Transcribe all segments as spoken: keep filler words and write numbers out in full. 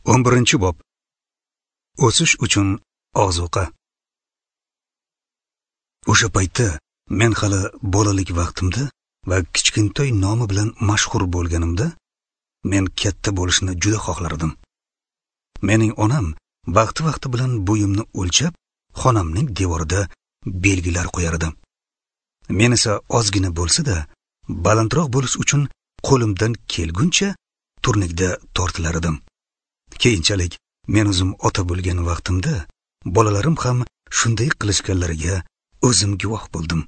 O'n birinchi bob. O'sish uchun ozuqa. O'sha paytda men hali bolalik vaqtimda va kichkintoy nomi bilan mashhur bo'lganimda men katta bo'lishni juda xohlardim. Mening onam vaqti-vaqti bilan bo'yimni o'lchab, xonamning devorida belgilar qo'yardi. Men esa ozgina bo'lsa-da, balandroq bo'lish uchun qo'limdan kelguncha turnikda tortilar edim. Keyinchalik men o'zim ota bo'lgan vaqtimda bolalarim ham shunday qilishganlariga o'zim guvoh bo'ldim.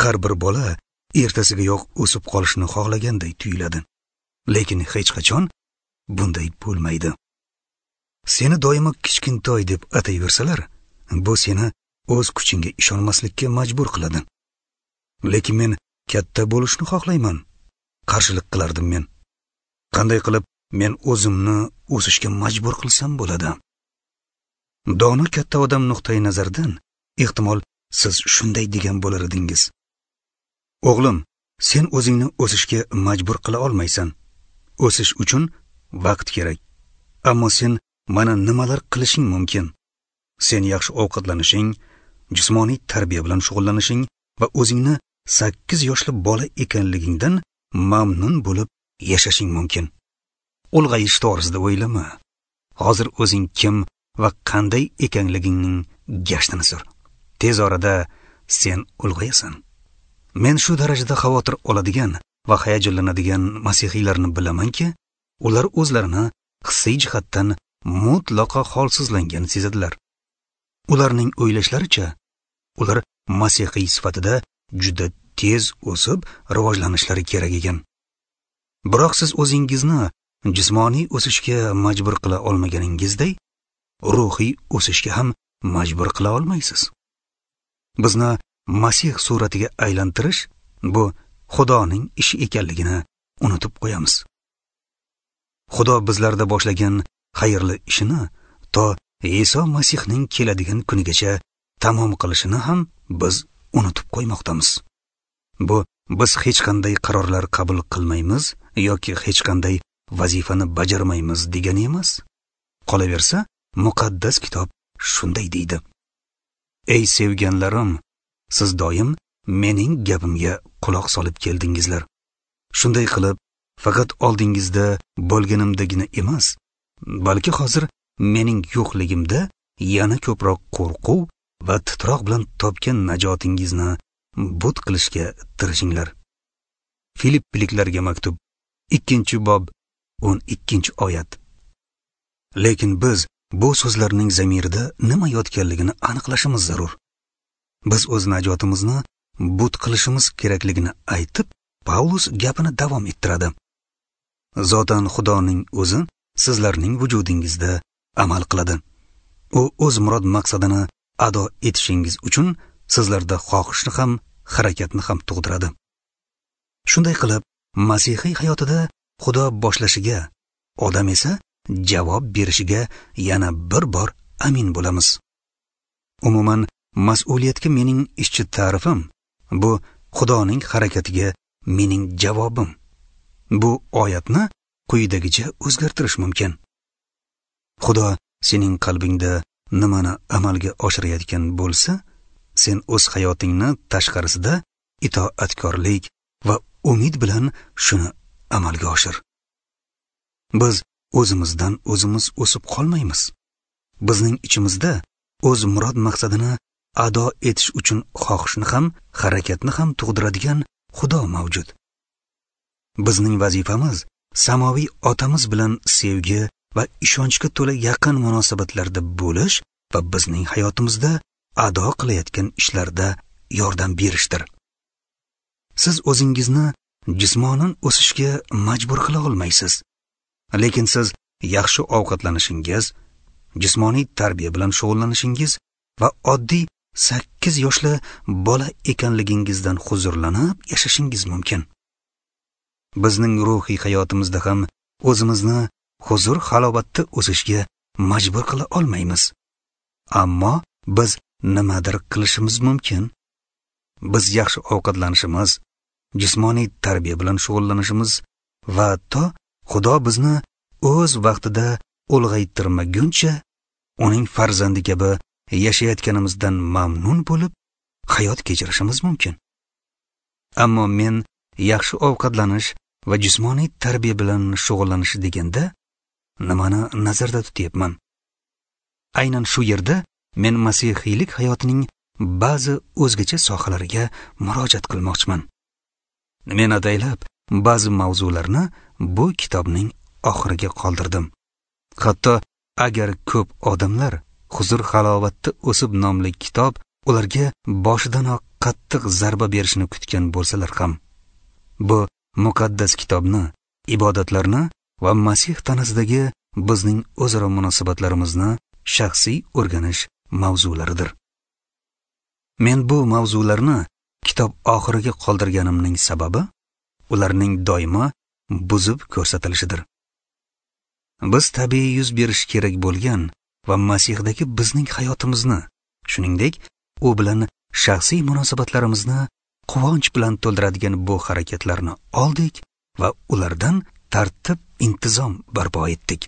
Har bir bola ertasigayoq o'sib qolishni xohlaganday tuyuladi. Lekin hech qachon bunday bo'lmaydi. Seni doimo kichkintoy deb atayversalar, bu seni o'z kuchingga ishonmaslikka majbur qiladi. Lekin men katta bo'lishni xohlayman, qarshilik qilardim men. Qanday qilib men o'zimni o'sishga majbur qilsam bo'ladi? Dono katta odam nuqtai nazaridan ehtimol siz shunday degan bo'lar edingiz. O'g'lim, sen o'zingni o'sishga majbur qila olmaysan. O'sish uchun vaqt kerak. Ammo sen mana nimalar qilishing mumkin? Sen yaxshi ovqatlanishing, jismoniy tarbiya bilan shug'ullanishing va o'zingni sakkiz yoshli bola ekanligingdan mamnun bo'lib yashashing mumkin. Ulg'ayish to'g'risida o'ylama. Hozir o'zing kim va qanday ekanligingning gashtini sur. Tez orada sen ulg'ayasan. Men shu darajada xavotir oladigan va hayajonlanadigan masihiylarni bilamanki, ular o'zlarini hissiy jihatdan mutlaqo holsizlangan sezadilar. Ularning o'ylashlaricha, ular masihiy sifatida juda tez o'sib rivojlanishlari kerak ekan. Biroq siz o'zingizni jismoniy o'sishga majbur qila olmaganingizday, ruhiy o'sishga ham majbur qila olmaysiz. Bizni Masih suratiga aylantirish bu Xudoning ishi ekanligini unutib qo'yamiz. Xudo bizlarda boshlagan xayrli ishini to Iso Masihning keladigan kunigacha tamom qilishini ham biz unutib qo'ymoqdamiz. Bu biz hech qanday qarorlar qabul qilmaymiz yoki hech qanday vazifani bajarmaymiz degani emas. Qolaversa, muqaddas kitob shunday deydi: Ey sevganlarim, siz doim mening gapimga quloq solib keldingizlar. Shunday qilib, faqat oldingizda bo'lganimdagina emas, balki hozir mening yo'qligimda yana ko'proq qo'rquv va titroq bilan topgan najotingizni but qilishga tirishinglar. Filippiliklarga maktub, ikkinchi bob, o'n ikkinchi oyat. Lekin biz bu so'zlarning zamirida nima yotganligini aniqlashimiz zarur. Biz o'z najotimizni but qilishimiz kerakligini aytib, Pavlus gapini davom ettiradi. Zotan Xudoning o'zi sizlarning vujudingizda amal qiladi. U o'z murod maqsadini ado etishingiz uchun sizlarda xohishni ham, harakatni ham tug'diradi. Shunday qilib, masihiy hayotida Xudo boshlashiga, odam esa javob berishiga yana bir bor amin bo'lamiz. Umuman, mas'uliyatga mening ishchi ta'rifim bu Xudoning harakatiga mening javobim. Bu oyatni quyidagicha o'zgartirish mumkin. Xudo sening qalbingda nimani amalga oshirayotgan bo'lsa, sen o'z hayotingni tashqarisida itoatkorlik va umid bilan shuni amalga oshir. Biz o'zimizdan o'zimiz o'sib qolmaymiz. Bizning ichimizda o'z murod maqsadini ado etish uchun xohishni ham, harakatni ham tug'diradigan Xudo mavjud. Bizning vazifamiz samoviy otamiz bilan sevgi va ishonchga to'la yaqin munosabatlarda bo'lish va bizning hayotimizda ado qilayotgan ishlarda yordam berishdir. Siz o'zingizni jismonan o'sishga majbur qila olmaysiz. Lekin siz yaxshi ovqatlanishingiz, jismoniy tarbiya bilan shug'ullanishingiz va oddiy sakkiz yoshli bola ekanligingizdan huzurlanib yashashingiz mumkin. Bizning ruhiy hayotimizda ham o'zimizni huzur halovatda o'sishga majbur qila olmaymiz. Ammo biz nimadir qilishimiz mumkin. Biz yaxshi ovqatlanishimiz, jismoniy tarbiya bilan shug'ullanishimiz va to Xudo bizni o'z vaqtida ulg'aytirmaguncha uning farzandi kabi yashayotganimizdan mamnun bo'lib hayot kechirishimiz mumkin. Ammo men yaxshi ovqatlanish va jismoniy tarbiya bilan shug'ullanish deganda nimani nazarda tutyapman? Aynan shu yerda men masihiylik hayotining ba'zi o'zgacha sohalariga murojaat qilmoqchiman. Men ataylab ba'zi mavzularni bu kitobning oxiriga qoldirdim. Hatto agar ko'p odamlar Huzur halovatda o'sib nomli kitob ularga boshidanoq qattiq zarba berishini kutgan bo'lsalar ham, bu muqaddas kitobni, ibodatlarni va Masih tanasidagi bizning o'zaro munosabatlarimizni shaxsiy o'rganish mavzularidir. Men bu mavzularni kitob oxiriga qoldirganimning sababi ularning doimo buzib ko'rsatilishidir. Biz tabiiy yuz berishi kerak bo'lgan va Masihdagi bizning hayotimizni, shuningdek, u bilan shaxsiy munosabatlarimizni quvonch bilan to'ldiradigan bu harakatlarni oldik va ulardan tartib intizom barpo etdik.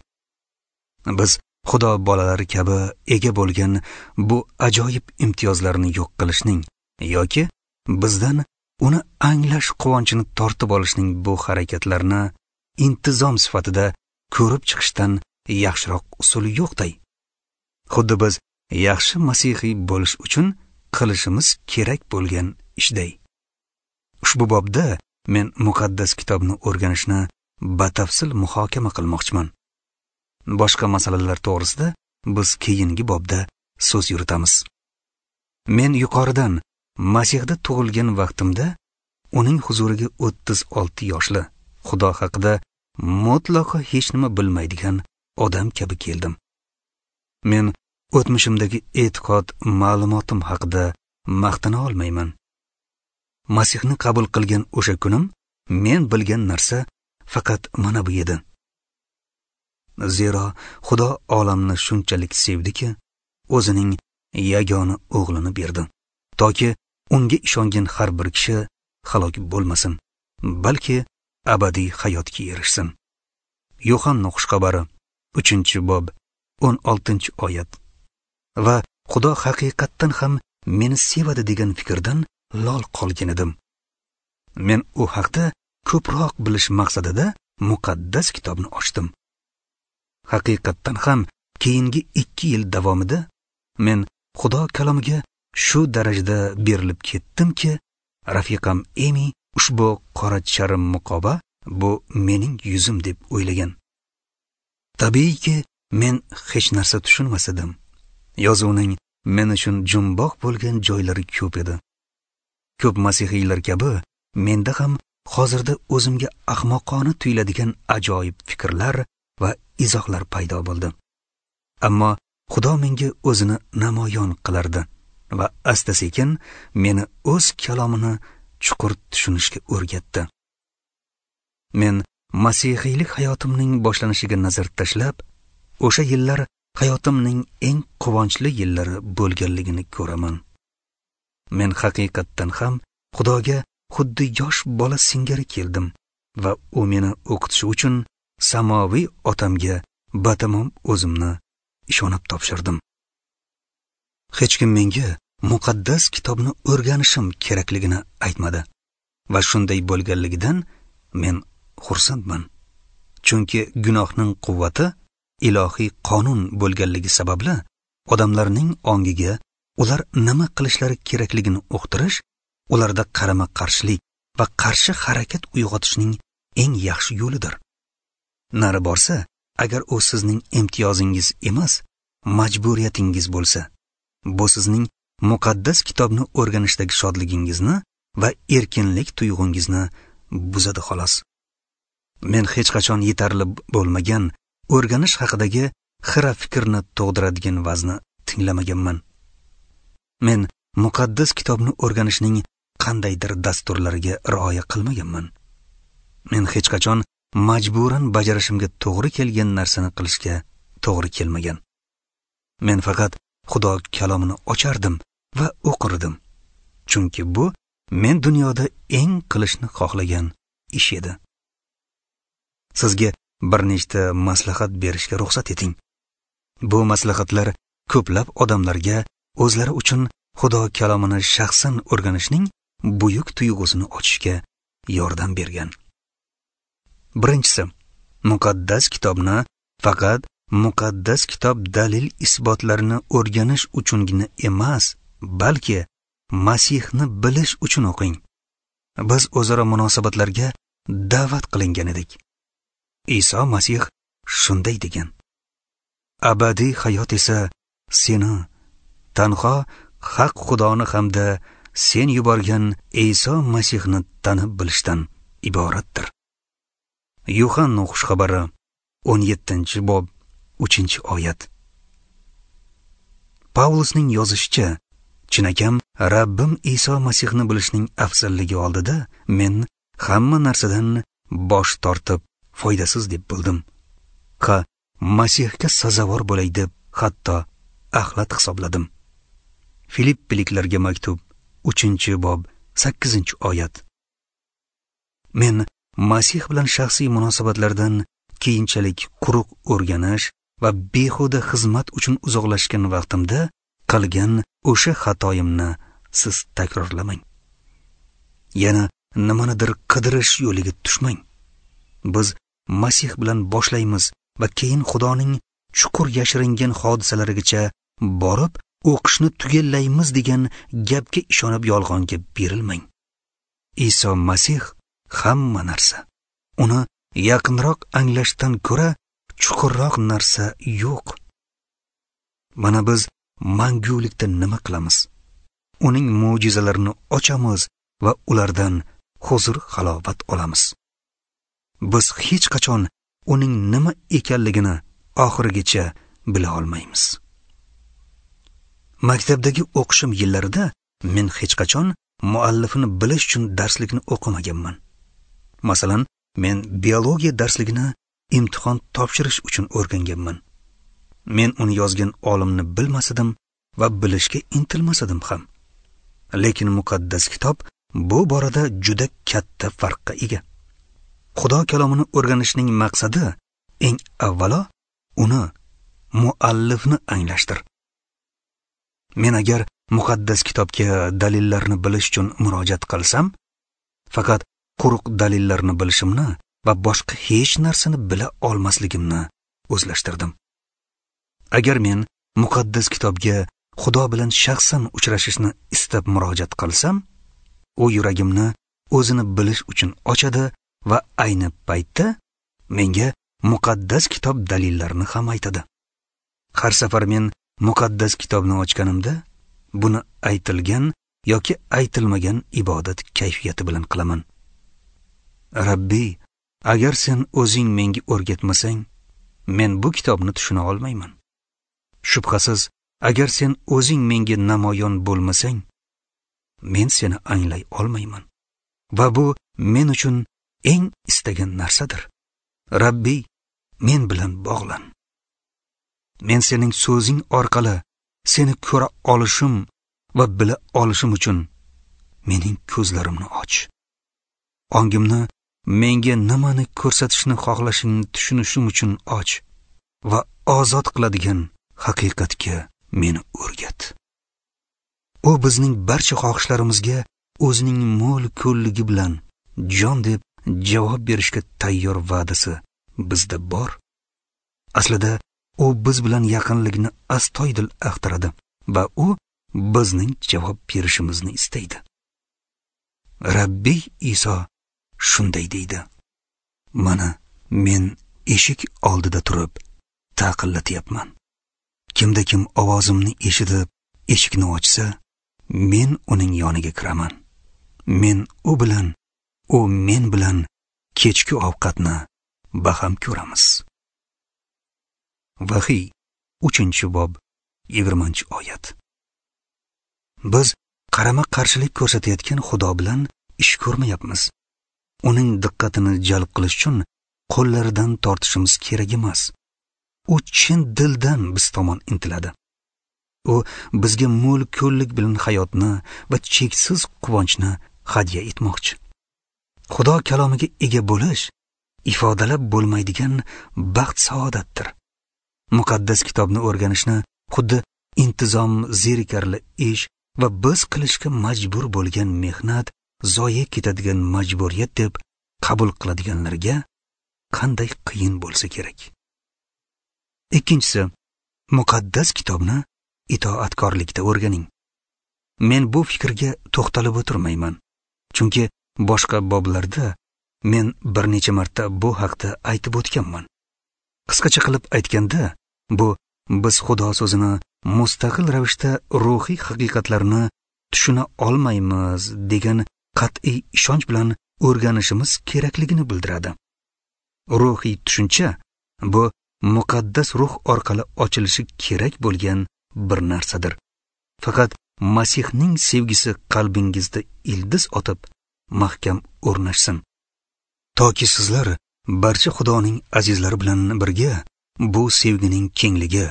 Biz Xudo bolalari kabi ega bo'lgan bu ajoyib imtiyozlarni yo'q qilishning yoki bizdan uni anglash quvonchini tortib olishning bu harakatlarni intizom sifatida ko'rib chiqishdan yaxshiroq usuli yo'qday. Xuddi biz yaxshi masihiy bo'lish uchun qilishimiz kerak bo'lgan ishday. Ushbu bobda men muqaddas kitobni o'rganishni batafsil muhokama qilmoqchiman. Boshqa masalalar to'g'risida biz keyingi bobda so'z yuritamiz. Men yuqoridan Masihda tug'ilgan vaqtimda uning huzuriga o'ttiz olti yoshli, Xudo haqida mutlaqo hech nima bilmaydigan odam kabi keldim. Men o'tmishimdagi e'tiqod ma'lumotim haqida maqtana olmayman. Masihni qabul qilgan o'sha kunim men bilgan narsa faqat mana bu edi. Zero Xudo olamni shunchalik sevdiki, o'zining yagona o'g'lini berdi, toki unga ishongan har bir kishi halok bo'lmasin, balki abadiy hayotga erishsin. Yo'hanna xushxabari uchinchi bob o'n oltinchi oyat. Va Xudo haqiqatdan ham meni sevadi degan fikrdan lol qolgan edim. Men u haqda ko'proq bilish maqsadida muqaddas kitobni ochdim. Haqiqatdan ham keyingi ikki yil davomida men Xudo kalomiga shu darajada berilib ketdimki, rafiqam Emi ushbu qora charm muqoba bu mening yuzim deb o'ylagan. Tabiiyki, men hech narsa tushunmas edim. Yozuvning men uchun jumboq bo'lgan joylari ko'p edi. Ko'p masihiylar kabi menda ham hozirda o'zimga ahmoqona tuyuladigan ajoyib fikrlar va izohlar paydo bo'ldi. Ammo Xudo menga o'zini namoyon qilardi va asta-sekin meni o'z kalomini chuqur tushunishga o'rgatdi. Men masihiylik hayotimning boshlanishiga nazar tashlab, o'sha yillar hayotimning eng quvonchli yillari bo'lganligini ko'raman. Men haqiqatdan ham Xudoga xuddi yosh bola singari keldim va u meni o'qitishi uchun samoviy otamga batamom o'zimni ishonib topshirdim. Hech kim menga muqaddas kitobni o'rganishim kerakligini aytmadi va shunday bo'lganligidan men xursandman. Chunki gunohning quvvati ilohiy qonun bo'lganligi sababli odamlarning ongiga ular nima qilishlari kerakligini uqtirish, ularda qarama-qarshilik va qarshi harakat uyg'otishning eng yaxshi yo'lidir. Nari borsa, agar u sizning imtiyozingiz emas, majburiyatingiz bo'lsa, bu sizning muqaddas kitobni o'rganishdagi shodligingizni va erkinlik tuyg'ungizni buzadi xolos. Men hech qachon yetarli bo'lmagan o'rganish haqidagi xira fikrni tug'diradigan vazni tinglamaganman. Men muqaddas kitobni o'rganishning qandaydir dasturlariga rioya qilmaganman. Men hech qachon majburan bajarishimga to'g'ri kelgan narsani qilishga to'g'ri kelmagan. Men faqat Xudo kalomini ochardim va o'qirdim. Chunki bu men dunyoda eng qilishni xohlagan ish edi. Sizga bir nechta maslahat berishga ruxsat eting. Bu maslahatlar ko'plab odamlarga o'zlari uchun Xudo kalomini shaxsan o'rganishning buyuk tuyg'usini ochishga yordam bergan. Birinchisi, muqaddas kitobni faqat muqaddas kitob dalil isbotlarini o'rganish uchungina emas, balki Masihni bilish uchun o'qing. Biz o'zaro munosabatlarga da'vat qilingan edik. Iso Masih shunday degan: abadiy hayot esa seni, tanho haq Xudoni hamda sen yuborgan Iso Masihni tanib bilishdan iboratdir. Yuhanna xushxabari o'n yettinchi bob uchinchi oyat. Pavlusning yozishicha, chinakam Rabbim Iso Masihni bilishning afzalligi oldida men hamma narsadan bosh tortib foydasiz deb bildim. Ha, Masihga sazovor bo'lay deb hatto axlat hisobladim. Filippiliklarga maktub uchinchi bob sakkizinchi oyat. Men Masih bilan shaxsiy munosabatlardan keyinchalik quruq o'rganish va behuda xizmat uchun uzoqlashgan vaqtimda qilgan o'sha xatoyimni siz takrorlamang. Yana nimanidir qidirish yo'liga tushmang. Biz Masih bilan boshlaymiz va keyin Xudoning chuqur yashiringan hodisalarigacha borib o'qishni tugallaymiz degan gapga ishonib yolg'onga berilmang. Iso Masih hamma narsa. Uni yaqinroq anglashdan ko'ra chuqurroq narsa yo'q. Mana biz mangulikda nima qilamiz? Uning mo'jizalarini ochamiz va ulardan huzur halovat olamiz. Biz hech qachon uning nima ekanligini oxirigacha bila olmaymiz. Maktabdagi o'qishim yillarida men hech qachon muallifini bilish uchun darslikni o'qimaganman. Masalan, men biologiya darsligini imtihon topshirish uchun o'rganganman. Men uni yozgan olimni bilmas edim va bilishga intilmas edim ham. Lekin muqaddas kitob bu borada juda katta farqqa ega. Xudo kalomini o'rganishning maqsadi eng avvalo uni, muallifni anglashdir. Men agar muqaddas kitobga dalillarni bilish uchun murojaat qilsam, faqat quruq dalillarni bilishimni va boshqa hech narsani bila olmasligimni o'zlashtirdim. Agar men muqaddas kitobga Xudo bilan shaxsan uchrashishni istab murojaat qilsam, u yuragimni o'zini bilish uchun ochadi va ayni paytda menga muqaddas kitob dalillarini ham aytadi. Har safar men muqaddas kitobni ochganimda buni aytilgan yoki aytilmagan ibodat kayfiyati bilan qilaman. Rabbi, agar sen o'zing menga o'rgatmasang, men bu kitobni tushuna olmayman. Shubhasiz, agar sen o'zing menga namoyon bo'lmasang, men seni anglay olmayman. Va bu men uchun eng istagan narsadir. Rabbi, men bilan bog'lan. Men sening so'zing orqali seni ko'ra olishim va bila olishim uchun mening ko'zlarimni och. Ongimni menga nimani ko'rsatishni xohlashingni tushunishim uchun och va ozod qiladigan haqiqatga meni o'rgat. U bizning barcha xohishlarimizga o'zining mo'l ko'lligi bilan jon deb javob berishga tayyor va'dasi bizda bor. Aslida u biz bilan yaqinlikni astoydil axtaradi va u bizning javob berishimizni istaydi. Rabbiy Iso shunday deydi: Mana men eshik oldida turib taqillatyapman. Kimda kim ovozimni eshitib eshikni ochsa, men uning yoniga kiraman. Men u bilan, u men bilan kechki ovqatni baham ko'ramiz. Vahiy uchinchi bob yigirmanchi oyat. Biz qarama-qarshilik ko'rsatayotgan Xudo bilan ish ko'rmayapmiz. Uning diqqatini jalb qilish uchun qo'llaridan tortishimiz kerak emas. U chin dildan biz tomon intiladi. U bizga mo'l ko'llik bilan hayotni va cheksiz quvonchni hadya etmoqchi. Xudo kalomiga ega bo'lish ifodalab bo'lmaydigan baxt saodatdir. Muqaddas kitobni o'rganishni xuddi intizom zerikarli ish va biz qilishga majbur bo'lgan mehnat zoye ketadigan majburiyat deb qabul qiladiganlarga qanday qiyin bo'lsa kerak. Ikkinchisi, muqaddas kitobni itoatkorlikda o'rganing. Men bu fikrga to'xtalib o'tirmayman, chunki boshqa boblarda men bir necha marta bu haqda aytib o'tganman. Qisqacha qilib aytganda, bu biz Xudo so'zini mustaqil ravishda ruhiy haqiqatlarni tushuna olmaymiz degan qat'iy ishonch bilan o'rganishimiz kerakligini bildiradi. Ruhiy tushuncha bu muqaddas ruh orqali ochilishi kerak bo'lgan bir narsadir. Faqat Masihning sevgisi qalbingizda ildiz otib mahkam o'rnashsin, toki sizlar barcha Xudoning azizlari bilan birga bu sevgining kengligi,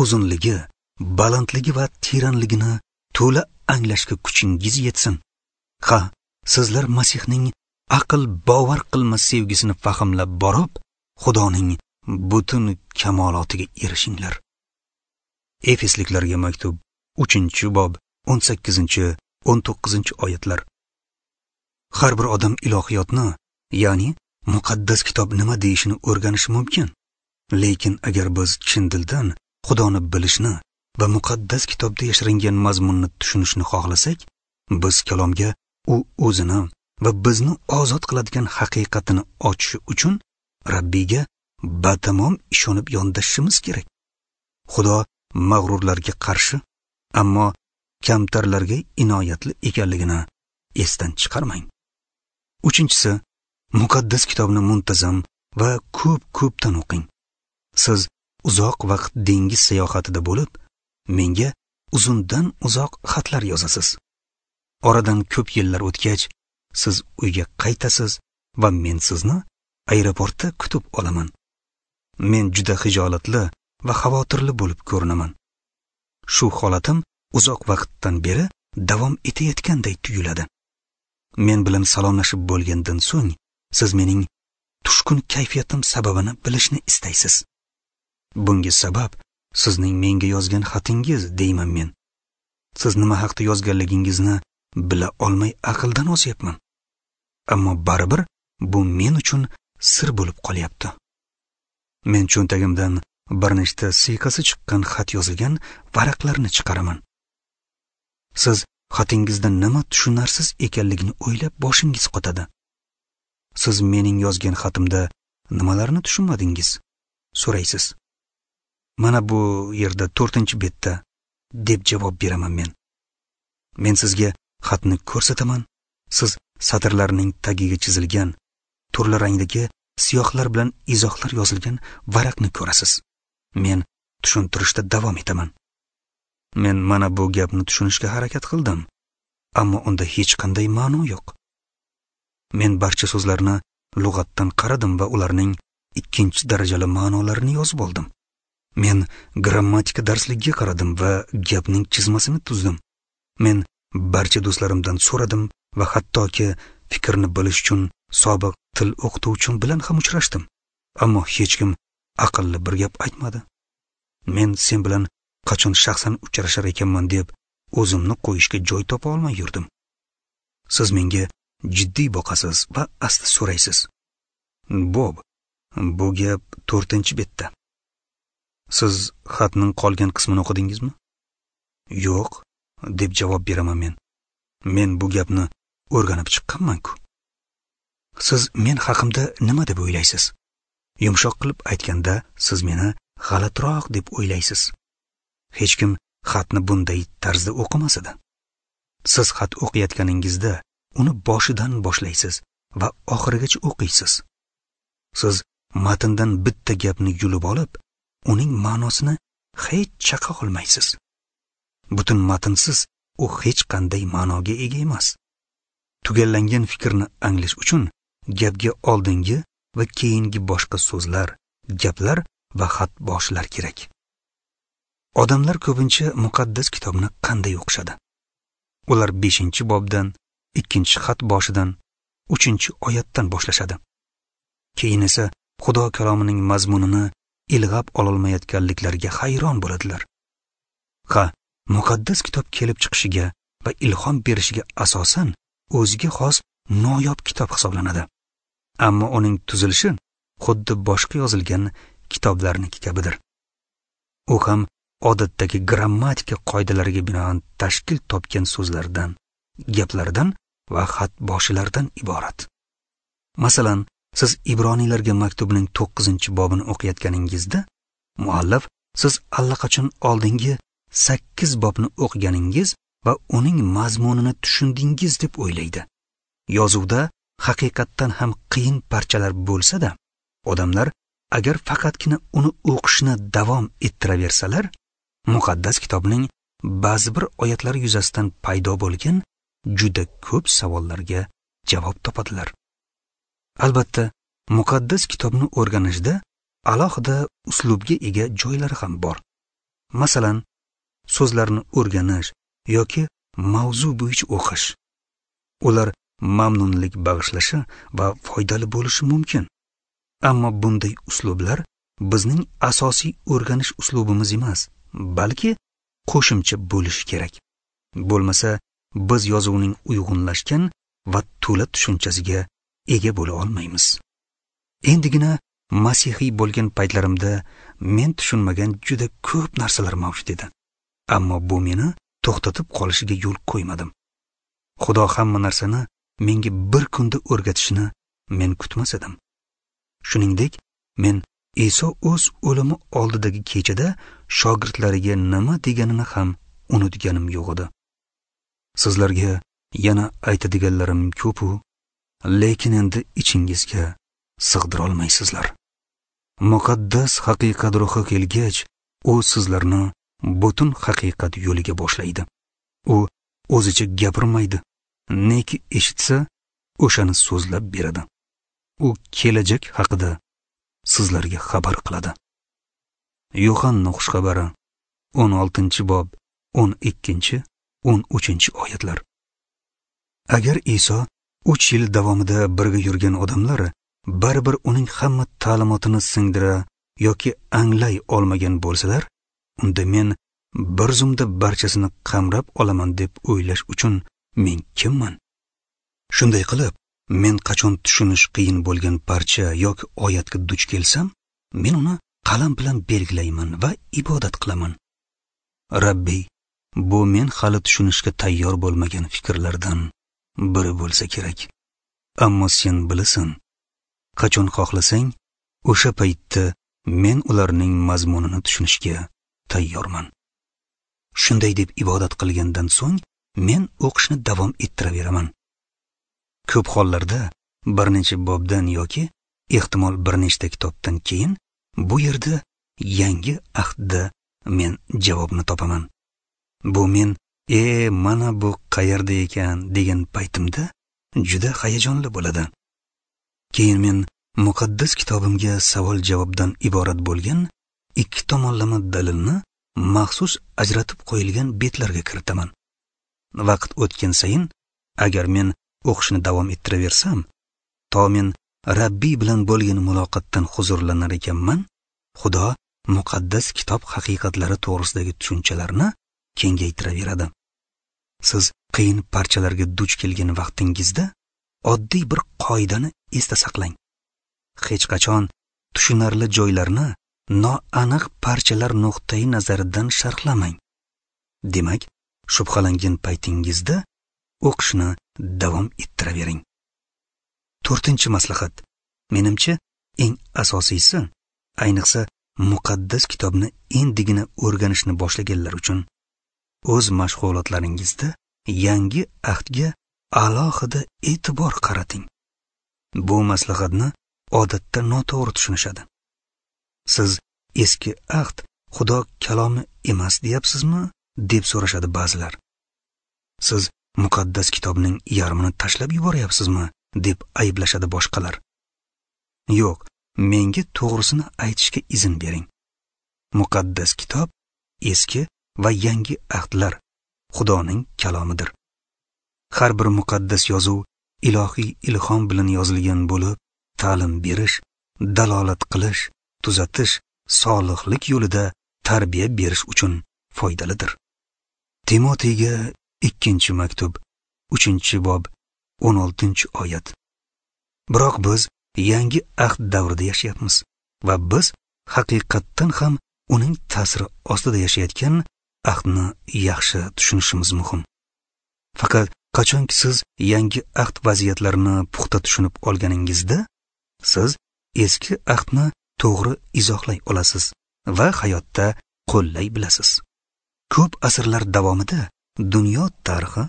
uzunligi, balandligi va teranligini to'la anglashga kuchingiz yetsin. Ha, sizlar Masihning aql bovar qilmas sevgisini fahmlab borib, Xudoning butun kamolotiga erishinglar. Efesliklarga maktub uchinchi bob o'n sakkizinchi o'n to'qqizinchi oyatlar. Har bir odam ilohiyotni, ya'ni muqaddas kitob nima deyishini o'rganishi mumkin. Lekin agar biz chin dildan Xudoni bilishni va muqaddas kitobda yashiringan mazmunni tushunishni xohlasak, biz kalomga u o'zini va bizni ozod qiladigan haqiqatini ochishi uchun Rabbiyga batamom ishonib yondashishimiz kerak. Xudo mag'rurlarga qarshi, ammo kamtarlarga inoyatli ekanligini esdan chiqarmang. Uchinchisi, muqaddas kitobni muntazam va ko'p-ko'pdan o'qing. Siz uzoq vaqt dengiz sayohatida bo'lib, menga uzundan uzoq xatlar yozasiz. Oradan ko'p yillar o'tgach, siz uyga qaytasiz va men sizni aeroportda kutib olaman. Men juda xijolatli va xavotirli bo'lib ko'rinaman. Shu holatim uzoq vaqtdan beri davom etayotganday tuyuladi. Men bilan salomlashib bo'lgandan so'ng siz mening tushkun kayfiyatim sababini bilishni istaysiz. Bunga sabab sizning menga yozgan xatingiz, deyman men. Siz nima haqda yozganligingizni bila olmay aqldan ozyapman. Ammo baribir bu men uchun sir bo'lib qolyapti. Men cho'ntagimdan bir nechta siyqasi chiqqan xat yozilgan varaqlarni chiqaraman. Siz xatingizda nima tushunarsiz ekanligini o'ylab boshingiz qotadi. Siz mening yozgan xatimda nimalarni tushunmadingiz? So'raysiz. Mana bu yerda to'rtinchi betda, deb javob beraman men. Men sizga xatni ko'rsataman. Siz satrlarning tagiga chizilgan turli rangdagi siyohlar bilan izohlar yozilgan varaqni ko'rasiz. Men tushuntirishda davom etaman. Men mana bu gapni tushunishga harakat qildim, ammo unda hech qanday ma'no yo'q. Men barcha so'zlarni lug'atdan qaradim va ularning ikkinchi darajali ma'nolarini yozib oldim. Men grammatika darsligiga qaradim va gapning chizmasini tuzdim. Men barcha do'stlarimdan so'radim va hattoki fikrni bilish uchun sobiq til o'qituvchim bilan ham uchrashdim. Ammo hech kim aqlli bir gap aytmadi. Men sen bilan qachon shaxsan uchrashar ekanman deb o'zimni qo'yishga joy topa olmay yurdim. Siz menga jiddiy boqasiz va asta so'raysiz. Bob, bu gap to'rtinchi betda. Siz xatning qolgan qismini o'qidingizmi? Yo'q, deb javob beraman men. Men bu gapni o'rganib chiqqanman-ku. Siz men haqimda nima deb o'ylaysiz? Yumshoq qilib aytganda, siz meni g'alatiroq deb o'ylaysiz. Hech kim xatni bunday tarzda o'qimas edi. Siz xat o'qiyotganingizda uni boshidan boshlaysiz va oxirigacha o'qiysiz. Siz matndan bitta gapni yulib olib, uning ma'nosini hech chaqa olmaysiz. Butun matnsiz u hech qanday ma'noga ega emas. Tugallangan fikrni anglash uchun gapga oldingi va keyingi boshqa so'zlar, gaplar va xat boshlar kerak. Odamlar ko'pincha muqaddas kitobni qanday o'qishadi? Ular beshinchi bobdan, ikkinchi xat boshidan, uchinchi oyatdan boshlashadi. Keyin esa Xudo kalomining mazmunini ilg'ab ololmayotganliklariga hayron bo'ladilar. Ha, muqaddas kitob kelib chiqishiga va ilhom berishiga asosan o'ziga xos noyob kitob hisoblanadi. Ammo uning tuzilishi xuddi boshqa yozilgan kitoblarniki kabidir. U ham odatdagi grammatika qoidalariga binoan tashkil topgan so'zlardan, gaplardan va xat boshilardan iborat. Masalan, siz Ibroniylarga maktubining to'qqizinchi bobini o'qiyotganingizda, muallif siz allaqachon oldingi sakkiz bobni o'qiganingiz va uning mazmunini tushundingiz deb o'ylaydi. Yozuvda haqiqatdan ham qiyin parchalar bo'lsa-da, odamlar agar faqatgina uni o'qishni davom ettiraversalar, muqaddas kitobning ba'zi bir oyatlari yuzasidan paydo bo'lgan juda ko'p savollarga javob topadilar. Albatta, muqaddas kitobni o'rganishda alohida uslubga ega joylari ham bor. Masalan, so'zlarni o'rganish yoki mavzu bo'yicha o'qish. Ular mamnunlik bag'ishlashi va foydali bo'lishi mumkin. Ammo bunday uslublar bizning asosiy o'rganish uslubimiz emas, balki qo'shimcha bo'lishi kerak. Bo'lmasa, biz yozuvning uyg'unlashgan va to'la tushunchasiga ega bo'la olmaymiz. Endigina masihiy bo'lgan paytlarimda men tushunmagan juda ko'p narsalar mavjud edi. Ammo bu meni to'xtatib qolishiga yo'l qo'ymadim. Xudo hamma narsani menga bir kunda o'rgatishini men kutmas edim. Shuningdek, men Iso o'z o'limi oldidagi kechada shogirdlariga nima deganini ham unutganim yo'q edi. Sizlarga yana aytadiganlarim ko'p-u, lekin endi ichingizga sig'dira olmaysizlar. Muqaddas haqiqat ruhi kelgach, u sizlarni butun haqiqat yo'liga boshlaydi. U o'zicha gapirmaydi, neki eshitsa, o'shani so'zlab beradi. U kelajak haqida sizlarga xabar qiladi. Yo'hanna xushxabari o'n oltinchi bob o'n ikkinchi o'n uchinchi oyatlar. Agar Iso uch yil davomida birga yurgan odamlar baribir uning hamma ta'limotini singdira yoki anglay olmagan bo'lsalar, unda men bir zumda barchasini qamrab olaman deb o'ylash uchun men kimman? Shunday qilib, men qachon tushunish qiyin bo'lgan parcha yoki oyatga duch kelsam, men uni qalam bilan belgilayman va ibodat qilaman. Rabbiy, bu men hali tushunishga tayyor bo'lmagan fikrlardan biri bo'lsa kerak. Ammo sen bilasan, qachon xohlasang, o'sha paytda men ularning mazmunini tushunishga tayyorman. Shunday deb ibodat qilgandan so'ng men o'qishni davom ettiraveraman. Ko'p hollarda bir necha bobdan yoki ehtimol bir nechta kitobdan keyin bu yerda yangi ahdda men javobni topaman. Bu men e mana bu qayerda ekan degan paytimda juda hayajonli bo'ladi. Keyin men muqaddas kitobimga savol-javobdan iborat bo'lgan ikki tomonlama dalilni maxsus ajratib qo'yilgan betlarga kiritaman. Vaqt o'tgan sayin agar men o'qishni davom ettiraversam, to men Rabbiy bilan bo'lgan muloqotdan huzurlanar ekanman, Xudo muqaddas kitob haqiqatlari to'g'risidagi tushunchalarni kengaytiraveradi. Siz qiyin parchalarga duch kelgan vaqtingizda oddiy bir qoidani esda saqlang. Hech qachon tushunarli joylarni noaniq parchalar nuqtai nazaridan sharhlamang. Demak, shubhalangan paytingizda o'qishni davom ettiravering. To'rtinchi maslahat. Menimcha, eng asosiysi, ayniqsa muqaddas kitobni endigina o'rganishni boshlaganlar uchun o'z mashg'ulotlaringizda yangi ahdga alohida e'tibor qarating. Bu maslahatni odatda noto'g'ri tushunishadi. Siz eski ahd Xudo kalomi emas deyapsizmi deb so'rashadi ba'zilar. Siz muqaddas kitobning yarmini tashlab yuboryapsizmi deb ayblashadi boshqalar. Yo'q, menga to'g'risini aytishga izn bering. Muqaddas kitob eski va yangi ahdlar Xudoning kalomidir. Har bir muqaddas yozuv ilohiy ilhom bilan yozilgan bo'lib, ta'lim berish, dalolat qilish, tuzatish, solihlik yo'lida tarbiya berish uchun foydalidir. Timoteyga ikkinchi maktub, uchinchi bob, o'n oltinchi oyat. Biroq biz yangi ahd davrida yashayapmiz va biz haqiqatdan ham uning ta'siri ostida yashayotgan ahdni yaxshi tushunishimiz muhim. Faqat qachonki siz yangi ahd vaziyatlarini puxta tushunib olganingizda, siz eski ahdni to'g'ri izohlay olasiz va hayotda qo'llay bilasiz. Ko'p asrlar davomida dunyo tarixi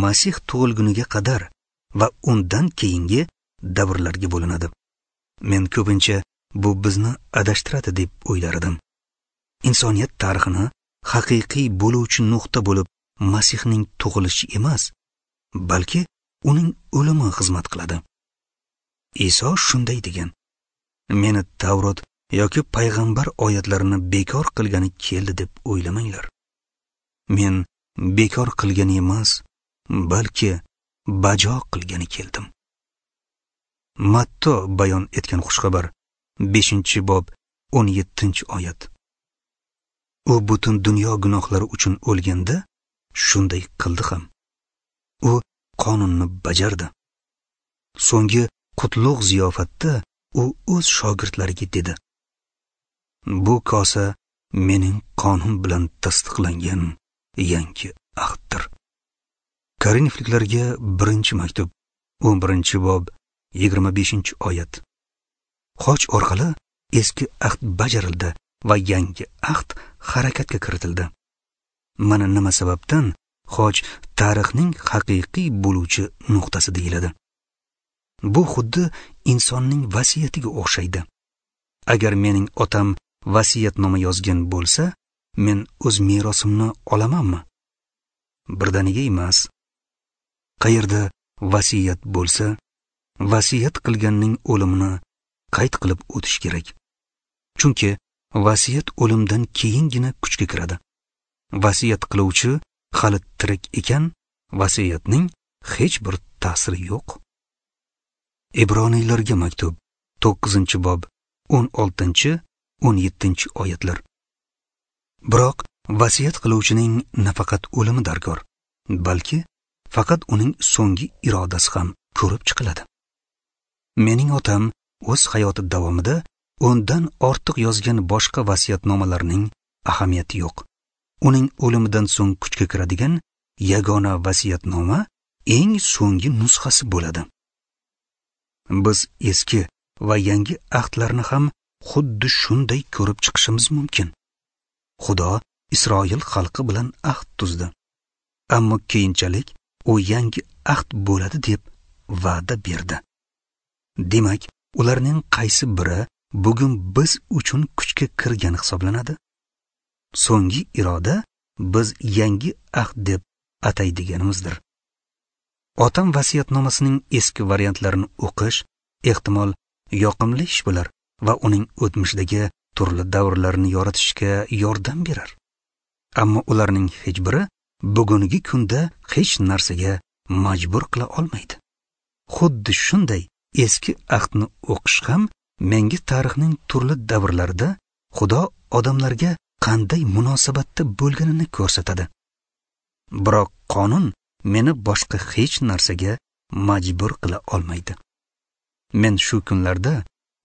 Masih tug'ilguniga qadar va undan keyingi davrlarga bo'linadi. Men ko'pincha bu bizni adashtiradi deb o'ylar edim. Insoniyat tarixini haqiqiy bo'luvchi nuqta bo'lib Masihning tug'ilishi emas, balki uning o'limi xizmat qiladi. Iso shunday degan: Meni Tavrot yoki payg'ambar oyatlarini bekor qilgani keldi deb o'ylamanglar. Men bekor qilgani emas, balki bajo qilgani keldim. Matto bayon etgan xushxabar, beshinchi bob, o'n yettinchi oyat. U butun dunyo gunohlari uchun o'lganda shunday qildi ham. U qonunni bajardi. So'nggi qutlug' ziyofatda u o'z shogirdlariga dedi: Bu kosa mening qonim bilan tasdiqlangan yangi ahddir. Korinfliklarga birinchi maktub, o'n birinchi bob, yigirma beshinchi oyat. Xoch orqali eski ahd bajarildi va yangi ahd harakatga kiritildi. Mana nima sababdan xoch tarixning haqiqiy bo'luvchi nuqtasi deyiladi. Bu xuddi insonning vasiyatiga o'xshaydi. Agar mening otam vasiyatnoma yozgan bo'lsa, men o'z merosimni olamanmi? Birdaniga emas. Qayerda vasiyat bo'lsa, vasiyat qilganning o'limini qayd qilib o'tish kerak. Chunki vasiyat o'limdan keyingina kuchga kiradi. Vasiyat qiluvchi hali tirik ekan, vasiyatning hech bir ta'siri yo'q. Ibroniylarga maktub, to'qqizinchi bob, o'n oltinchi, o'n yettinchi oyatlar. Biroq vasiyat qiluvchining nafaqat o'limi darkor, balki faqat uning so'nggi irodasi ham ko'rib chiqiladi. Mening otam o'z hayoti davomida o'ndan ortiq yozgan boshqa vasiyatnomalarning ahamiyati yo'q. Uning o'limidan so'ng kuchga kiradigan yagona vasiyatnoma eng so'nggi nusxasi bo'ladi. Biz eski va yangi ahdlarni ham xuddi shunday ko'rib chiqishimiz mumkin. Xudo Isroil xalqi bilan ahd tuzdi. Ammo keyinchalik u yangi ahd bo'ladi deb va'da berdi. Demak, ularning qaysi biri bugun biz uchun kuchga kirgan hisoblanadi? So'nggi iroda biz yangi ahd deb ataydiganimizdir. Otam vasiyatnomasining eski variantlarini o'qish ehtimol yoqimli ish bo'lar va uning o'tmishdagi turli davrlarni yoritishga yordam berar. Ammo ularning hech biri bugungi kunda hech narsaga majbur qila olmaydi. Xuddi shunday eski ahdni o'qish ham menga tarixning turli davrlarida Xudo odamlarga qanday munosabatda bo'lganini ko'rsatadi. Biroq qonun meni boshqa hech narsaga majbur qila olmaydi. Men shu kunlarda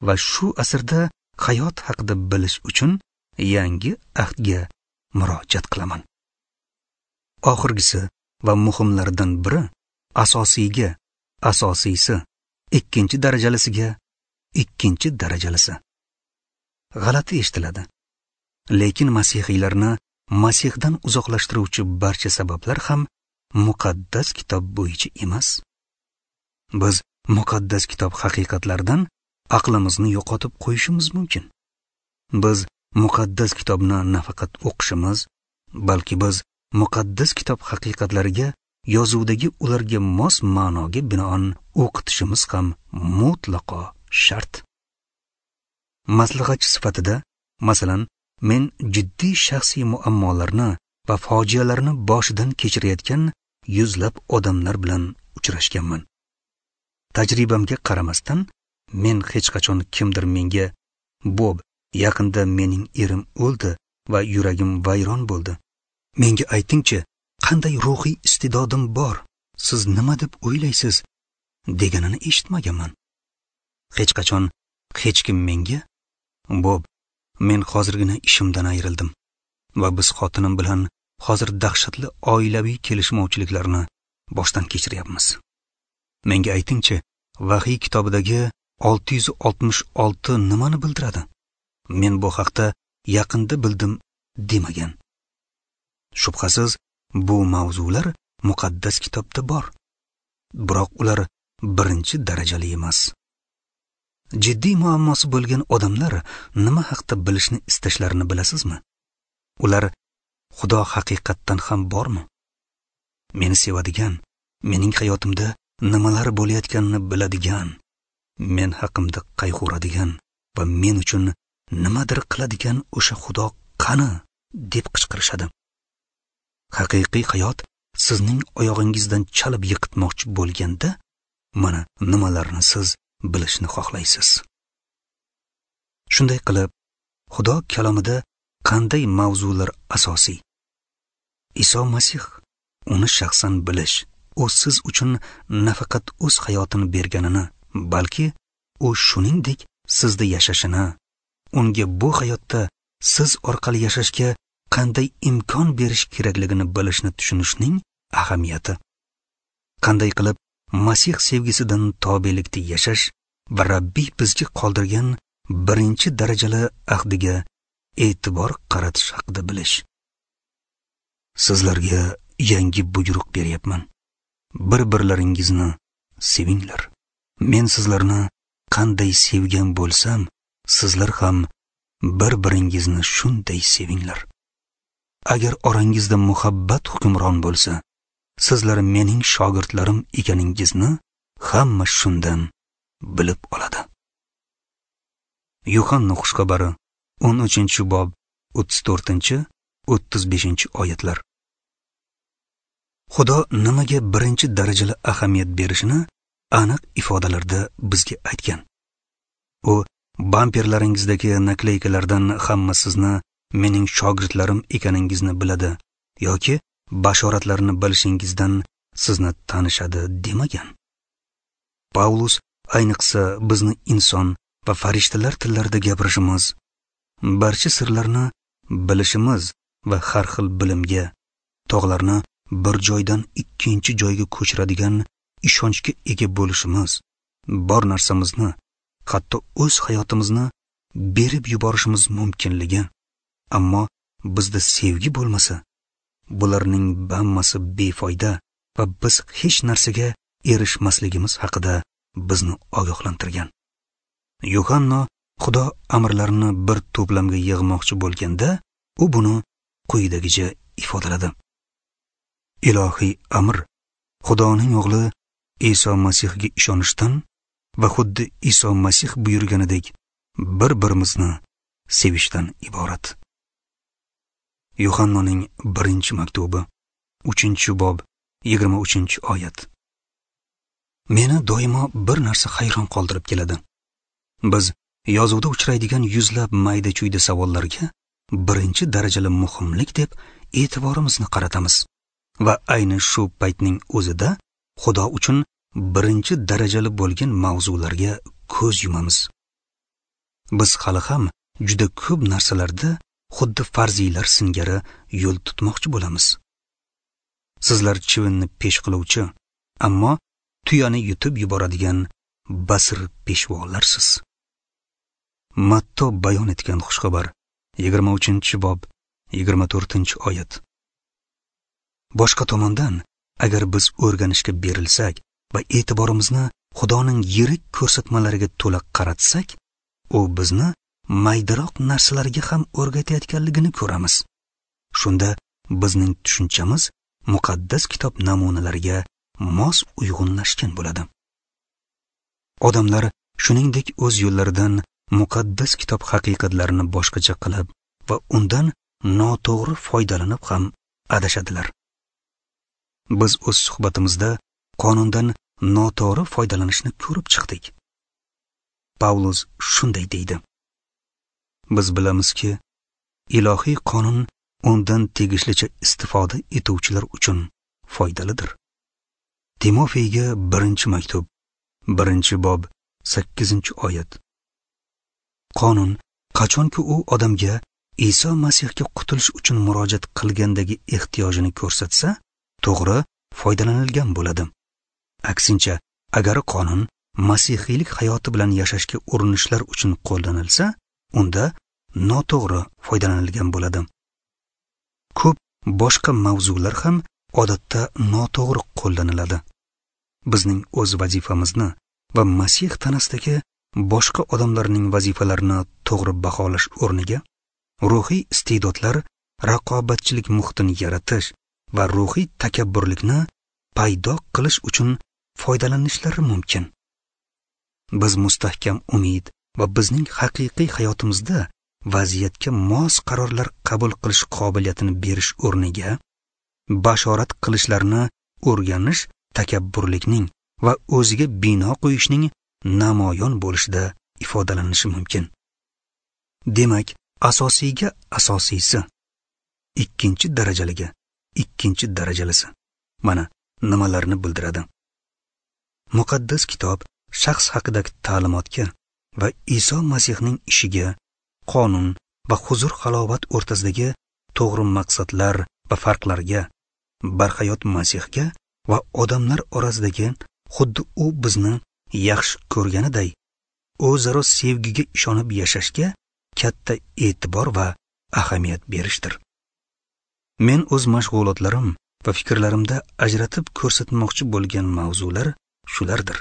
va shu asrda hayot haqida bilish uchun yangi ahdga murojaat qilaman. Oxirgisi va muhimlaridan biri asosiyga, asosiysi, ikkinchi darajalisiga, ikkinchi darajalisi. G'alati eshitiladi. Lekin masihiylarni Masihdan uzoqlashtiruvchi barcha sabablar ham muqaddas kitob bo'yicha emas. Biz muqaddas kitob haqiqatlaridan aqlimizni yo'qotib qo'yishimiz mumkin. Biz muqaddas kitobni nafaqat o'qishimiz, balki biz muqaddas kitob haqiqatlariga yozuvdagi ularga mos ma'noga binoan o'qitishimiz ham mutlaqo shart. Maslahatchi sifatida, masalan, men jiddiy shaxsiy muammolarni va fojialarni boshidan kechirayotgan yuzlab odamlar bilan uchrashganman. Tajribamga qaramasdan, Men hech qachon kimdir menga "Bob, yaqinda mening erim o'ldi va yuragim vayron bo'ldi. Menga aytingchi, qanday ruhiy iste'dodim bor? Siz nima deb o'ylaysiz?" deganini eshitmaganman. Hech qachon hech kim menga "Bob, men hozirgina ishimdan ayrildim va biz xotinim bilan hozir dahshatli oilaviy kelishmovchiliklarni boshdan kechiryapmiz. Menga aytingchi, Vahiy kitobidagi olti yuz oltmish olti nimani bildiradi? Men bu haqda yaqinda bildim" demagan. Shubhasiz, bu mavzular muqaddas kitobda bor, biroq ular birinchi darajali emas. Jiddiy muammosi bo'lgan odamlar nima haqda bilishni istashlarini bilasizmi? Ular Xudo haqiqatdan ham bormi? Meni sevadigan, mening hayotimda nimalar bo'layotganini biladigan, men haqimda qayg'uradigan va men uchun nimadir qiladigan o'sha Xudo qani deb qichqirishadi. Haqiqiy hayot sizning oyog'ingizdan chalib yiqitmoqchi bo'lganda, mana nimalarni siz bilishni xohlaysiz. Shunday qilib, Xudo kalomida qanday mavzular asosiy? Iso Masih, uni shaxsan bilish, u siz uchun nafaqat o'z hayotini berganini, balki u shuningdek sizda yashashini, unga bu hayotda siz orqali yashashga qanday imkon berish kerakligini bilishni tushunishning ahamiyati. Qanday qilib Masih sevgisidan tobelikda yashash va Rabbiy bizga qoldirgan birinchi darajali ahdiga e'tibor qaratish haqida bilish. Sizlarga yangi buyruq beryapman. Bir-birlaringizni sevinglar. Men sizlarni qanday sevgan bo'lsam, sizlar ham bir-biringizni shunday sevinglar. Agar orangizda muhabbat hukmron bo'lsa, sizlar mening shogirdlarim ekaningizni hamma shundan bilib oladi. Yuhanna xushxabari o'n uchinchi bob o'ttiz to'rtinchi o'ttiz beshinchi oyatlar. Xudo nimaga birinchi darajali ahamiyat berishini aniq ifodalarda bizga aytgan. U bamperlaringizdagi nakleykalardan hamma sizni mening shogirdlarim ekaningizni biladi yoki bashoratlarni bilishingizdan sizni tanishadi demagan. Paulus ayniqsa bizni inson va farishtalar tillarida gapirishimiz, barcha sirlarni bilishimiz va har xil bilimga, tog'larni bir joydan ikkinchi joyga ko'chiradigan ishonchga ega bo'lishimiz, bor narsamizni, hatto o'z hayotimizni berib yuborishimiz mumkinligi, ammo bizda sevgi bo'lmasa, bularning hammasi befoyda va biz hech narsaga erishmasligimiz haqida bizni ogohlantirgan. Yuhanna Xudo amrlarini bir to'plamga yig'moqchi bo'lganda, u buni quyidagicha ifodaladi. Ilohiy amr Xudoning o'g'li Iso Masihga ishonishdan va xuddi Iso Masih buyurganidek bir-birimizni sevishdan iborat. Yuhannaning birinchi maktubi, uchinchi bob, yigirma uchinchi oyat. Meni doimo bir narsa hayron qoldirib keladi. Biz yozuvda uchraydigan yuzlab mayda-chuyda savollarga birinchi darajali muhimlik deb e'tiborimizni qaratamiz va ayni shu paytning o'zida Xudo uchun birinchi darajali bo'lgan mavzularga ko'z yumamiz. Biz hali ham juda ko'p narsalarda xuddi farziylar singari yo'l tutmoqchi bo'lamiz. Sizlar chivinni pesh qiluvchi, ammo tuyani yutib yuboradigan basir peshvolarsiz. Matto bayon etgan xushxabar, yigirma uchinchi bob, yigirma to'rtinchi oyat. Boshqa tomondan, agar biz o'rganishga berilsak va e'tiborimizni Xudoning yirik ko'rsatmalariga to'la qaratsak, u bizni maydaroq narsalarga ham o'rgatayotganligini ko'ramiz. Shunda bizning tushunchamiz muqaddas kitob namunalariga mos uyg'unlashgan bo'ladi. Odamlar shuningdek o'z yo'llaridan muqaddas kitob haqiqatlarini boshqacha qilib va undan noto'g'ri foydalanib ham adashadilar. Biz o'z suhbatimizda qonundan noto'g'ri foydalanishni ko'rib chiqdik. Pavlus shunday deydi: Biz bilamizki, ilohiy qonun undan tegishlicha istifoda etuvchilar uchun foydalidir. Timofeyga birinchi maktub, birinchi bob, sakkizinchi oyat. Qonun qachonki u odamga Iso Masihga qutulish uchun murojaat qilgandagi ehtiyojini ko'rsatsa, to'g'ri foydalanilgan bo'ladi. Aksincha, agar qonun masihiylik hayoti bilan yashashga urinishlar uchun qo'llanilsa, unda noto'g'ri foydalanilgan bo'ladi. Ko'p boshqa mavzular ham odatda noto'g'ri qo'llaniladi. Bizning o'z vazifamizni va Masih tanasidagi boshqa odamlarning vazifalarini to'g'ri baholash o'rniga ruhiy iste'dodlar raqobatchilik muhitini yaratish va ruhiy takabburlikni paydo qilish uchun foydalanishlari mumkin. Biz mustahkam umid va bizning haqiqiy hayotimizda vaziyatga mos qarorlar qabul qilish qobiliyatini berish o'rniga bashorat qilishlarni o'rganish takabburlikning va o'ziga bino qo'yishning namoyon bo'lishida ifodalanishi mumkin. Demak, asosiyga asosiysi, ikkinchi darajaliga ikkinchi darajalisi mana nimalarni bildiradi. Muqaddas kitob shaxs haqidagi ta'limotga va Iso Masihning ishiga, qonun va huzur-halovat o'rtasidagi to'g'ri maqsadlar va farqlarga, barhayot Masihga va odamlar orasidagi xuddi u bizni yaxshi ko'rganiday o'zaro sevgiga ishonib yashashga katta e'tibor va ahamiyat berishdir. Men o'z mashg'ulotlarim va fikrlarimda ajratib ko'rsatmoqchi bo'lgan mavzular shulardir.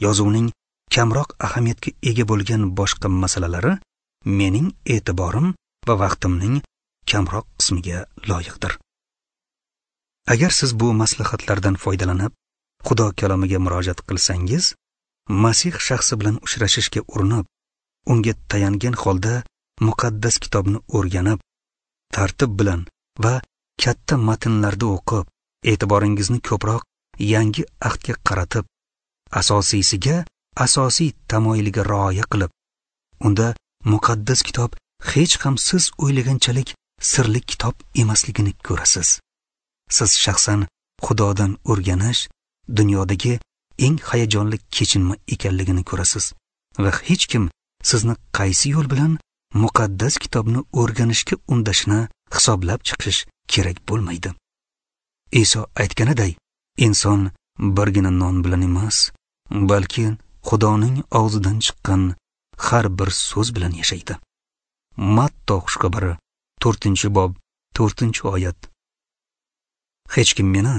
Yozuvning kamroq ahamiyatga ega bo'lgan boshqa masalalari mening e'tiborim va vaqtimning kamroq qismiga loyiqdir. Agar siz bu maslahatlardan foydalanib, Xudo kalomiga murojaat qilsangiz, Masih shaxsi bilan uchrashishga urinib, unga tayangan holda muqaddas kitobni o'rganib, tartib bilan va katta matnlarda o'qib, e'tiboringizni ko'proq yangi ahdga qaratib, asosiysiga asosiy tamoyiliga rioya qilib, unda muqaddas kitob hech ham siz o'ylaganchalik sirli kitob emasligini ko'rasiz. Siz shaxsan Xudodan o'rganish dunyodagi eng hayajonli kechinma ekanligini ko'rasiz va hech kim sizni qaysi yo'l bilan muqaddas kitobni o'rganishga undashini hisoblab chiqish kerak bo'lmaydi. Iso aytganiday, inson birgina non bilan emas, balki Xudoning og'zidan chiqqan har bir so'z bilan yashaydi. Matto xushxabari to'rtinchi bob to'rtinchi oyat. Hech kim meni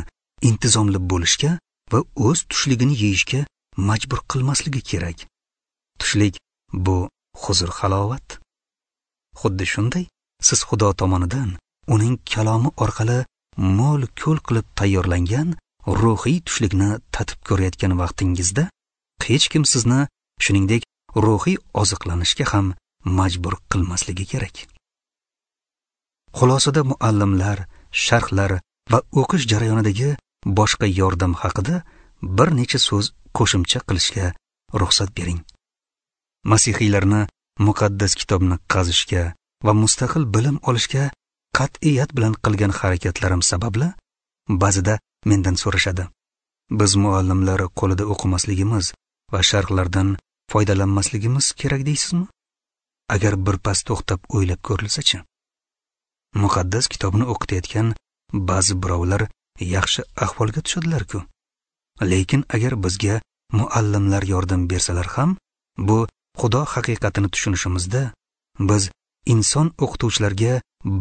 intizomli bo'lishga va o'z tushligini yeyishga majbur qilmasligi kerak. Tushlik bu huzur-halovat. Xuddi shunday, siz Xudo tomonidan uning kalomi orqali mo'l-ko'l qilib tayyorlangan ruhiy tushlikni tatib ko'rayotgan vaqtingizda hech kim sizni shuningdek ruhiy oziqlanishga ham majbur qilmasligi kerak. Xulosada muallimlar, sharhlar va o'qish jarayonidagi boshqa yordam haqida bir necha so'z qo'shimcha qilishga ruxsat bering. Masihiylarni muqaddas kitobni qazishga va mustaqil bilim olishga qat'iyat bilan qilgan harakatlarim sababli ba'zida mendan so'rashadi. Biz muallimlar qo'lida o'qimasligimiz va sharhlardan foydalanmasligimiz kerak deysizmi? Agar birpas to'xtab o'ylab ko'rilsa-chi? Muqaddas kitobni o'qitayotgan ba'zi birovlar yaxshi ahvolga tushadilar-ku. Lekin agar bizga muallimlar yordam bersalar ham, bu Xudo haqiqatini tushunishimizda biz inson o'qituvchilarga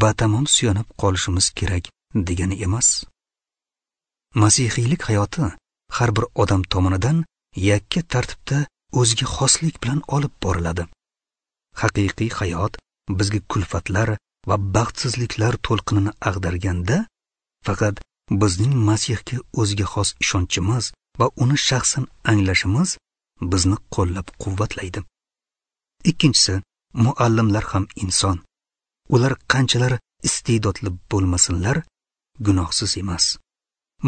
batamom suyanib qolishimiz kerak degani emas. Masihiylik hayoti har bir odam tomonidan yakka tartibda o'ziga xoslik bilan olib boriladi. Haqiqiy hayot bizga kulfatlar va baxtsizliklar to'lqinini ag'darganda, faqat bizning Masihga o'ziga xos ishonchimiz va uni shaxsan anglashimiz bizni qo'llab-quvvatlaydi. Ikkinchisi, muallimlar ham inson. Ular qanchalar iste'dodli bo'lmasinlar, gunohsiz emas.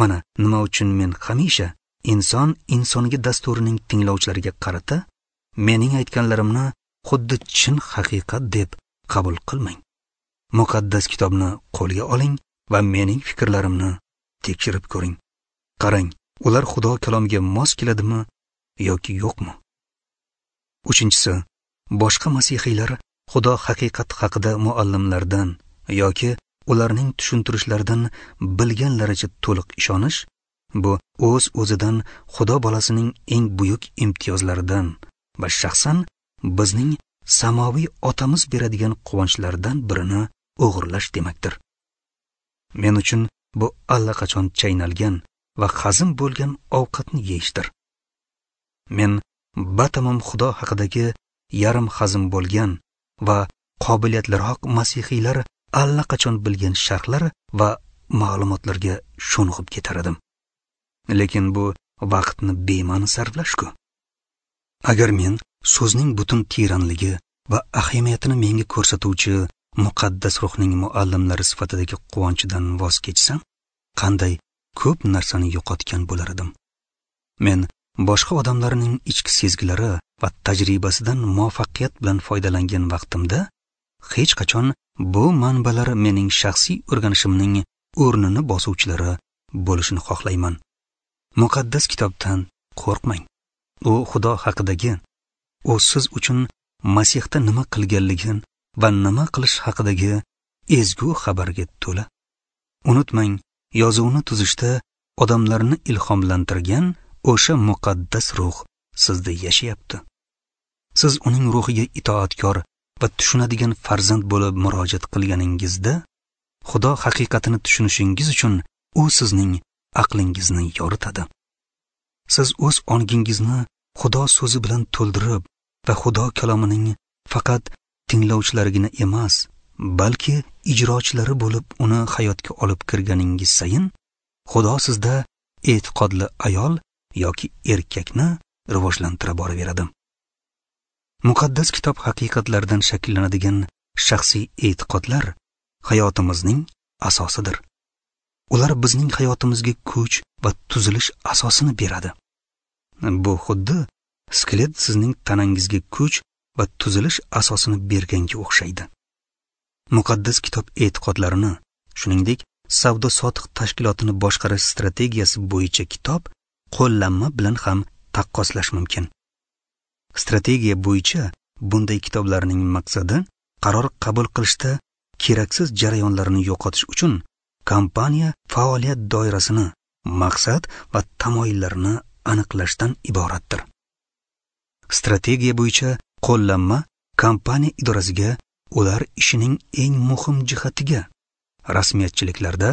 Mana nima uchun men hamisha inson insonga dasturining tinglovchilariga qarata Mening aytganlarimni xuddi chin haqiqat deb qabul qilmang. Muqaddas kitobni qo'lga oling va mening fikrlarimni tekshirib ko'ring. Qarang, ular Xudo kalomiga mos keladimi yoki yo'qmi? Uchinchisi, boshqa masihiylar Xudo haqiqat haqida muallimlardan yoki ularning tushuntirishlaridan bilganlaricha to'liq ishonish, bu o'z-o'zidan Xudo bolasining eng buyuk imtiyozlaridan va shaxsan bizning samoviy otamiz beradigan quvonchlardan birini o'g'irlash demakdir. Men uchun bu allaqachon chaynalgan va hazm bo'lgan ovqatni yeyishdir. Men batamom Xudo haqidagi yarim hazm bo'lgan va qobiliyatliroq masihiylar allaqachon bilgan sharhlar va ma'lumotlarga sho'ng'ib ketar edim. Lekin bu vaqtni bema'ni sarflash-ku. Agar men so'zning butun teranligi va ahamiyatini menga ko'rsatuvchi muqaddas ruhning muallimlari sifatidagi quvonchidan voz kechsam, qanday ko'p narsani yo'qotgan bo'lar edim. Men boshqa odamlarning ichki sezgilari va tajribasidan muvaffaqiyat bilan foydalangan vaqtimda hech qachon bu manbalar mening shaxsiy o'rganishimning o'rnini bosuvchilari bo'lishini xohlayman. Muqaddas kitobdan qo'rqmang. U Xudo haqidagi, u siz uchun Masihda nima qilganligini va nima qilish haqidagi ezgu xabarga to'la. Unutmang, yozuvni tuzishda odamlarni ilhomlantirgan o'sha muqaddas ruh sizda yashayapti. Siz uning ruhiga itoatkor va tushunadigan farzand bo'lib murojaat qilganingizda, Xudo haqiqatini tushunishingiz uchun u sizning aqlingizni yoritadi. Siz o'z ongingizni Xudo so'zi bilan to'ldirib va Xudo kalomining faqat tinglovchilarigina emas, balki ijrochilari bo'lib uni hayotga olib kirganingiz sayin, Xudo sizda e'tiqodli ayol yoki erkakni rivojlantira boraveradi. Muqaddas kitob haqiqatlaridan shakllanadigan shaxsiy e'tiqodlar hayotimizning asosidir. Ular bizning hayotimizga kuch va tuzilish asosini beradi. Bu xuddi skelet sizning tanangizga kuch va tuzilish asosini berganga o'xshaydi. Muqaddas kitob e'tiqodlarini, shuningdek, savdo-sotiq tashkilotini boshqarish strategiyasi bo'yicha kitob qo'llanma bilan ham taqqoslash mumkin. Strategiya bo'yicha bunday kitoblarning maqsadi qaror qabul qilishda keraksiz jarayonlarni yo'qotish uchun kompaniya faoliyat doirasini, maqsad va tamoyillarini aniqlashdan iboratdir. Strategiya bo'yicha qo'llanma kompaniya idorasiga ular ishining eng muhim jihatiga, rasmiyatchiliklarda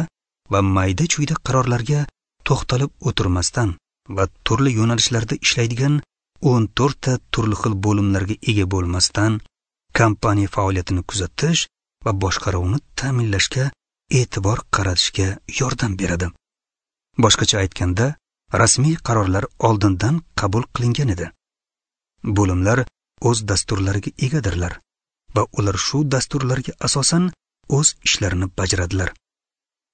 va mayda-chuyda qarorlarga to'xtalib o'tirmasdan va turli yo'nalishlarda ishlaydigan o'n to'rt ta turli xil bo'limlarga ega bo'lmasdan kompaniya faoliyatini kuzatish va boshqaruvni ta'minlashga e'tibor qaratishga yordam beradi. Boshqacha aytganda, rasmiy qarorlar oldindan qabul qilingan edi. Bo'limlar o'z dasturlariga egadirlar va ular shu dasturlarga asosan o'z ishlarini bajaradilar.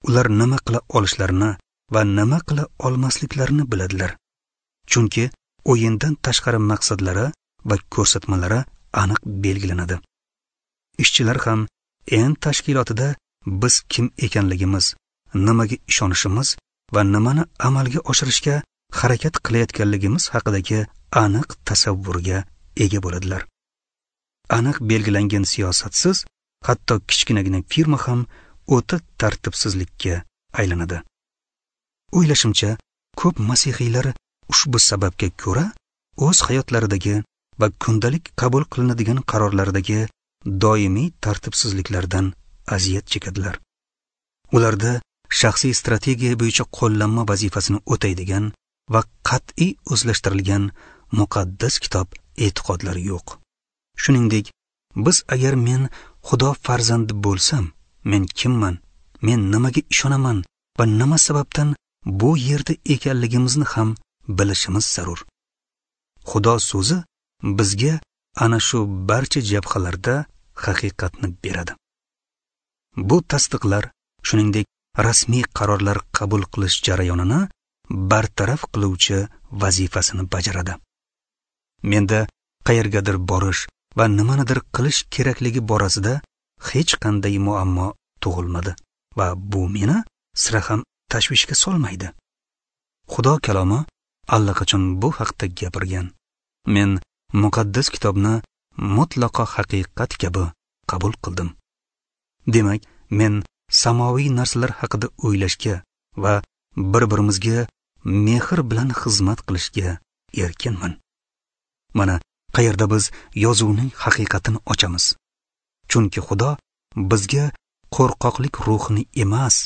Ular nima qila olishlarini va nima qila olmasliklarini biladilar. Chunki o'yindan tashqari maqsadlari va ko'rsatmalari aniq belgilanadi. Ishchilar ham en tashkilotida biz kim ekanligimiz, nimaga ishonishimiz va nimani amalga oshirishga harakat qilayotganligimiz haqidagi aniq tasavvurga ega bo'ladilar. Aniq belgilangan siyosatsiz hatto kichkinagina firma ham o'ta tartibsizlikka aylanadi. O'ylashimcha, ko'p masihiylar ushbu sababga ko'ra o'z hayotlaridagi va kundalik qabul qilinadigan qarorlardagi doimiy tartibsizliklardan aziyat chekadilar. Ularda shaxsiy strategiya bo'yicha qo'llanma vazifasini o'taydigan va qat'iy o'zlashtirilgan muqaddas kitob e'tiqodlari yo'q. Shuningdek, biz agar men Xudo farzandi bo'lsam, men kimman, men nimaga ishonaman va nima sababdan bu yerda ekanligimizni ham bilishimiz zarur. Xudo so'zi bizga ana shu barcha jabhalarda haqiqatni beradi. Bu tasdiqlar, shuningdek, rasmiy qarorlar qabul qilish jarayonini bartaraf qiluvchi vazifasini bajaradi. Menda Qayergadir borish va nimanidir qilish kerakligi borasida hech qanday muammo tug'ilmadi va bu meni sira ham tashvishga solmaydi. Xudo kalomi allaqachon bu haqda gapirgan. Men muqaddas kitobni mutlaqo haqiqat kabi qabul qildim. Demak, men samoviy narsalar haqida o'ylashga va bir-birimizga mehr bilan xizmat qilishga erkinman. Mana qayerda biz yozuvning haqiqatini ochamiz. Chunki Xudo bizga qo'rqoqlik ruhini emas,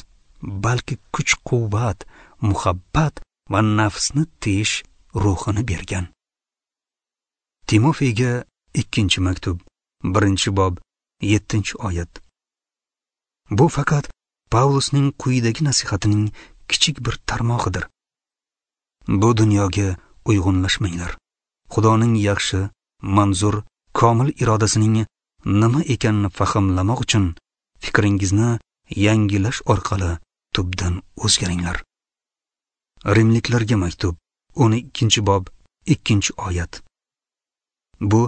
balki kuch-quvvat, muhabbat va nafsni tiyish ruhini bergan. Timofeyga ikkinchi maktub, birinchi bob, yettinchi oyat. Bu faqat Pavlusning quyidagi nasihatining kichik bir tarmog'idir. Bu dunyoga uyg'unlashmanglar. Xudoning yaxshi, manzur, komil irodasining nima ekanini fahmlamoq uchun fikringizni yangilash orqali tubdan o'zgaringlar. Rimliklarga maktub, o'n ikkinchi bob, ikkinchi oyat. Bu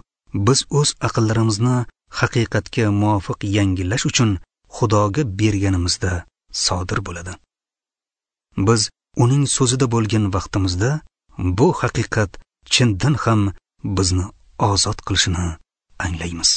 biz o'z aqllarimizni haqiqatga muvofiq yangilash uchun Xudoga berganimizda sodir bo'ladi. Biz uning so'zida bo'lgan vaqtimizda bu haqiqat chindan ham bizni ozod qilishini anglaymiz.